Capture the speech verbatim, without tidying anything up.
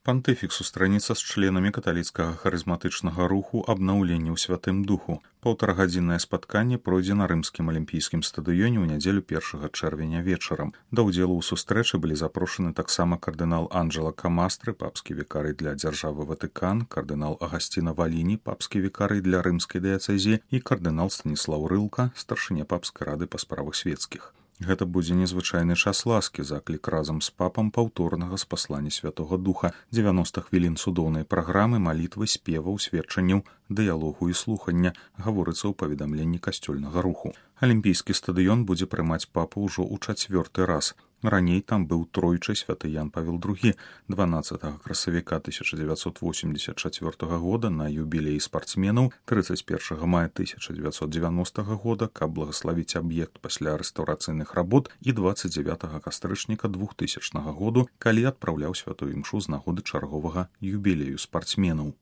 Пантыфік сустрэнецца з членамі каталіцкага харызматычнага руху абнаўлення ў святым духу. Паўтарагадзіннае спатканне пройдзе на рымскім алімпійскім стадыёне ў нядзелю першага чэрвеня вечарам. Да ўдзелу ў сустрэчы былі запрошаны таксама кардынал Анджела Камастры, папскі вікарый для дзяржавы Ватыкан, кардынал Агасціна Валіні, папскі вікарый для рымскай дыяцэзіі і кардынал Станіслаў Рылка, старшыня папскай рады па справах светскіх. Гэта будзе незвычайны час ласкі, заклік разам з папам паўторнага спаслання Святога Духа, дзевяноста хвілін цудоўнай праграмы, малітвы, спеваў, сведчанняў, дыялогу і слухання, гаворыцца ў паведамленні касцёльнага руху. Алімпійскі стадыён будзе прымаць папу ўжо ў чацвёрты раз. Раней там быў тройчы святы Ян Павел другі, дванаццатага красавіка тысяча дзевяцьсот восемьдесят чацвёртага года на юбілеі спартсменаў, трыццаць першага мая тысяча дзевяцьсот дзевяностага года, каб благаславіць аб'ект пасля рэстаўрацыйных работ, і дваццаць дзявятага кастрычніка двухтысячнага году, калі адпраўляў святую імшу з нагоды чарговага юбілею спартсменаў.